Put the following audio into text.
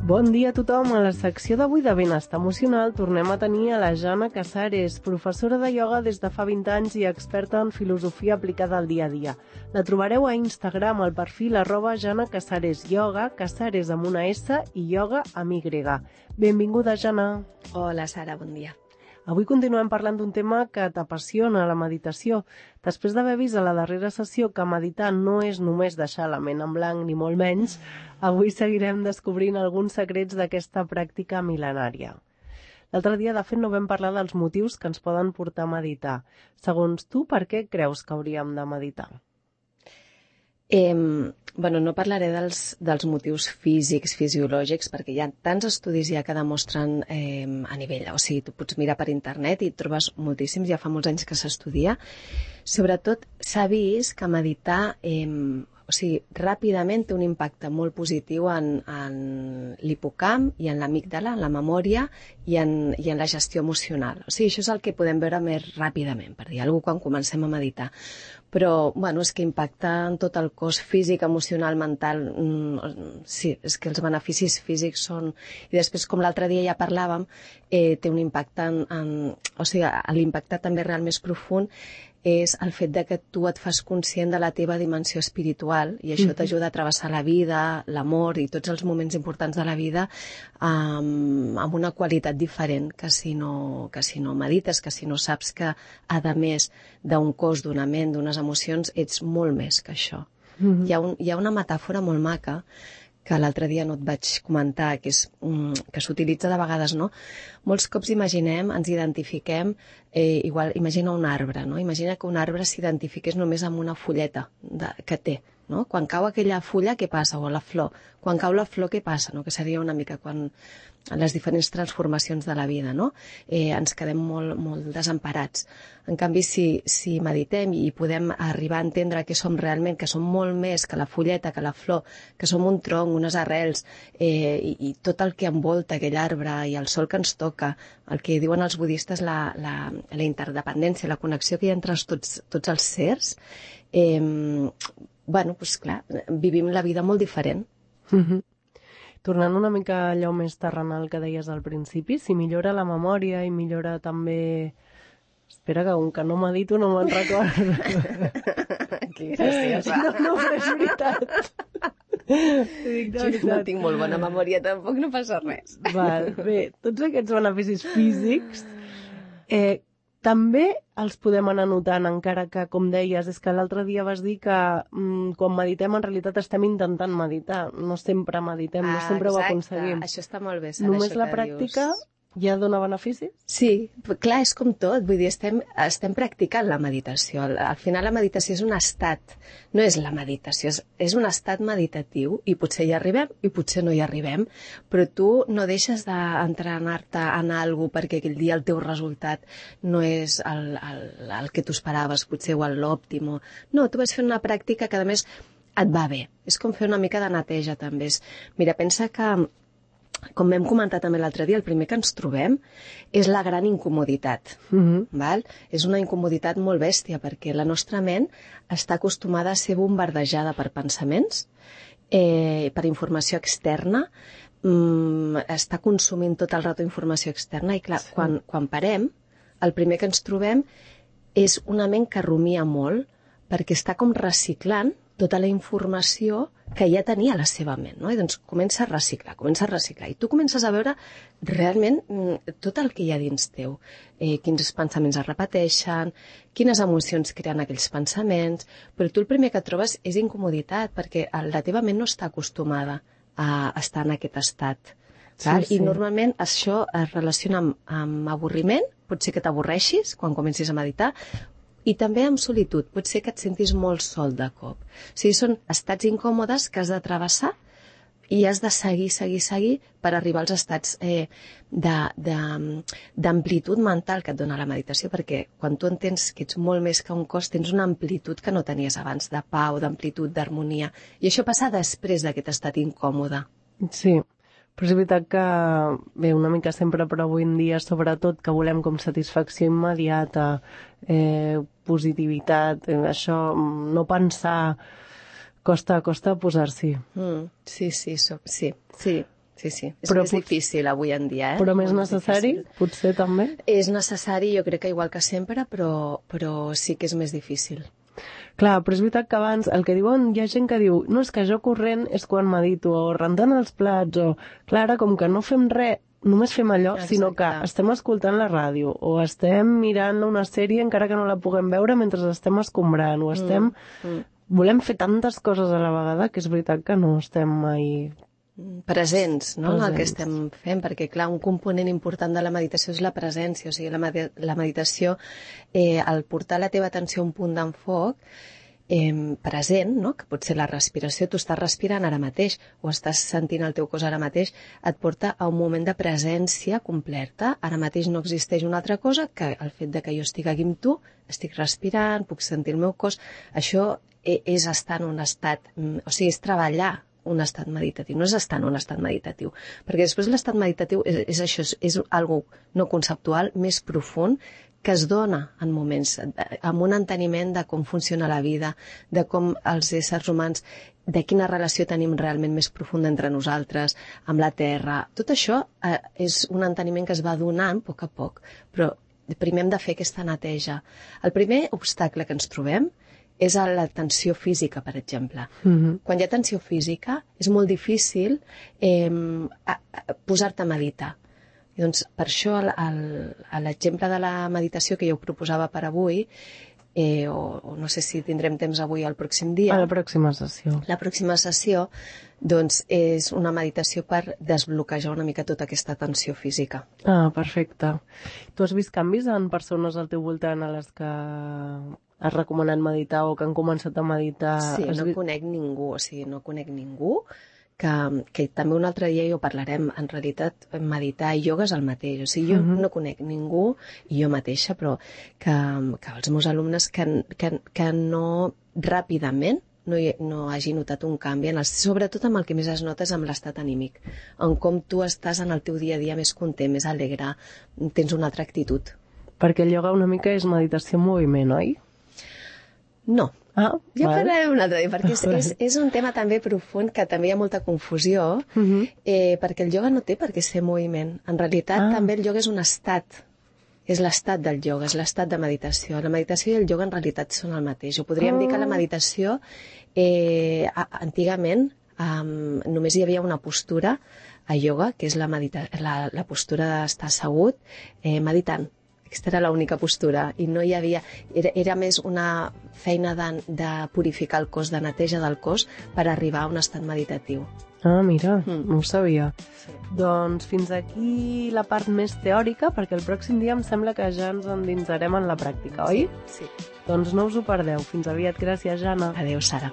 Bon dia a tothom. A la secció d'avui de Benestar Emocional tornem a tenir a la Jana Casares, professora de ioga des de fa 20 anys i experta en filosofia aplicada al dia a dia. La trobareu a Instagram al perfil @JanaCasaresYoga, Casares amb una S i ioga amb Y. Benvinguda, Jana. Hola, Sara, bon dia. Avui continuem parlant d'un tema que t'apassiona, la meditació. Després d'haver vist a la darrera sessió que meditar no és només deixar la ment en blanc, ni molt menys, avui seguirem descobrint alguns secrets d'aquesta pràctica mil·lenària. L'altre dia, de fet, no vam parlar dels motius que ens poden portar a meditar. Segons tu, per què creus que hauríem de meditar? No parlaré dels motius físics, fisiològics, perquè hi ha tants estudis ja que demostren a nivell, o sigui, tu pots mirar per internet i trobes moltíssims, ja fa molts anys que s'estudia. Sobretot s'ha vist que meditar ràpidament té un impacte molt positiu en l'hipocamp i en l'amígdala, en la memòria i en la gestió emocional. O sigui, això és el que podem veure més ràpidament, per dir alguna cosa, quan comencem a meditar. Però, és que impacta en tot el cos físic, emocional, mental. Sí, és que els beneficis físics són... I després, com l'altre dia ja parlàvem, té un impacte l'impacte també real més profund és el fet de que tu et fas conscient de la teva dimensió espiritual i això t'ajuda a travessar la vida, l'amor i tots els moments importants de la vida amb una qualitat diferent que si no medites, que si no saps que, a més d'un cos, d'una ment, d'unes emocions, ets molt més que això. Hi ha una metàfora molt maca que l'altre dia no et vaig comentar, que s'utilitza de vegades, no? Molts cops ens identifiquem, imagina un arbre, no? Imagina que un arbre s'identifiqués només amb una fulleta que té, no? Quan cau aquella fulla, què passa? O la flor. Quan cau la flor, què passa? No? Que seria una mica les diferents transformacions de la vida, no? Ens quedem molt desemparats. En canvi, si meditem i podem arribar a entendre que som realment, que som molt més que la fulleta, que la flor, que som un tronc, unes arrels, i tot el que envolta aquell arbre i el sol que ens toca, el que diuen els budistes, la interdependència, la connexió que hi ha entre tots els sers, clar, vivim la vida molt diferent. Tornant una mica a allò més terrenal que deies al principi, si millora la memòria i millora també... Espera, que com que no medito no me'n recordo. Que graciosa. No, però és veritat. No tinc molt bona memòria, tampoc no passa res. Bé, tots aquests beneficis físics també els podem anar notant, encara que, com deies, és que l'altre dia vas dir que quan meditem en realitat estem intentant meditar, no sempre meditem, no sempre ho aconseguim. Això està molt bé, Sara, només la pràctica ja dona beneficis? Sí, clar, és com tot, vull dir, estem practicant la meditació. Al final la meditació és un estat, no és la meditació, és un estat meditatiu i potser hi arribem i potser no hi arribem, però tu no deixes d'entrenar-te en alguna cosa perquè aquell dia el teu resultat no és el que tu esperaves, potser, o l'òptim. No, tu vas fer una pràctica que a més et va bé. És com fer una mica de neteja també. Mira, pensa que com vam comentar també l'altre dia, el primer que ens trobem és la gran incomoditat. Val? És una incomoditat molt bèstia perquè la nostra ment està acostumada a ser bombardejada per pensaments, per informació externa, està consumint tot el rato informació externa i clar, quan parem, el primer que ens trobem és una ment que rumia molt perquè està com reciclant tota la informació que ja tenia a la seva ment, no? I doncs comença a reciclar, i tu comences a veure realment tot el que hi ha dins teu, quins pensaments es repeteixen, quines emocions creen aquells pensaments, però tu el primer que trobes és incomoditat, perquè la teva ment no està acostumada a estar en aquest estat. I normalment això es relaciona amb avorriment, pot ser que t'avorreixis quan comencis a meditar, i també amb solitud, pot ser que et sentis molt sol de cop. O sigui, són estats incòmodes que has de travessar i has de seguir per arribar als estats d'amplitud mental que et dona la meditació, perquè quan tu entens que ets molt més que un cos, tens una amplitud que no tenies abans, de pau, d'amplitud, d'harmonia. I això passa després d'aquest estat incòmode. Sí. Però és veritat que, bé, una mica sempre, però avui en dia, sobretot, que volem com satisfacció immediata, positivitat, això, no pensar, costa posar-s'hi. Sí. Sí, sí. És Però més difícil avui en dia, Però més necessari, potser també? És necessari, jo crec que igual que sempre, però sí que és més difícil. Clar, però és veritat que abans el que diuen, hi ha gent que diu no, és que jo corrent és quan medito, o rentant els plats, o... Clar, ara com que no fem res, només fem allò, sinó que estem escoltant la ràdio, o estem mirant una sèrie encara que no la puguem veure mentre estem escombrant, o estem... Volem fer tantes coses a la vegada que és veritat que no estem mai... presents, no? El que estem fent, perquè clar, un component important de la meditació és la presència, o sigui, la meditació, al portar la teva atenció a un punt d'enfoc present, no? Que pot ser la respiració, tu estàs respirant ara mateix o estàs sentint el teu cos ara mateix, et porta a un moment de presència completa. Ara mateix no existeix una altra cosa que el fet de que jo estic aquí amb tu, estic respirant, puc sentir el meu cos, això és estar en un estat, o sigui, és treballar un estat meditatiu, no és estar en un estat meditatiu, perquè després l'estat meditatiu és això, és algo no conceptual, més profund, que es dona en moments, amb un enteniment de com funciona la vida, de com els éssers humans, de quina relació tenim realment més profunda entre nosaltres, amb la Terra. Tot això és un enteniment que es va donant a poc, però primer hem de fer aquesta neteja. El primer obstacle que ens trobem és a la tensió física, per exemple. Quan hi ha tensió física, és molt difícil posar-te a meditar. I doncs, per això, l'exemple de la meditació que jo proposava per avui, o no sé si tindrem temps avui o el pròxim dia... A la pròxima sessió. La pròxima sessió, doncs, és una meditació per desbloquejar una mica tota aquesta tensió física. Ah, perfecte. Tu has vist canvis en persones al teu voltant a les que has recomanat meditar o que han començat a meditar? Sí, no conec ningú, o sigui, no conec ningú que també un altre dia ho parlarem. En realitat, meditar i ioga és el mateix. O sigui, jo no conec ningú, i jo mateixa, però que els meus alumnes que no ràpidament no hagi notat un canvi, sobretot amb el que més es nota és amb l'estat anímic, en com tu estàs en el teu dia a dia més content, més alegre, tens una altra actitud. Perquè el ioga una mica és meditació en moviment, oi? No. Ja parlarem un altre dia, perquè és un tema també profund, que també hi ha molta confusió, perquè el ioga no té per què ser moviment. En realitat, també el ioga és un estat. És l'estat del ioga, és l'estat de meditació. La meditació i el ioga en realitat són el mateix. O podríem dir que la meditació, antigament, només hi havia una postura a ioga, que és la postura d'estar assegut meditant. Aquesta era l'única postura i no hi havia... Era més una feina de purificar el cos, de neteja del cos, per arribar a un estat meditatiu. Ah, mira, no ho sabia. Sí. Doncs fins aquí la part més teòrica, perquè el pròxim dia em sembla que ja ens endinsarem en la pràctica, oi? Sí. Doncs no us ho perdeu. Fins aviat. Gràcies, Jana. Adéu, Sara.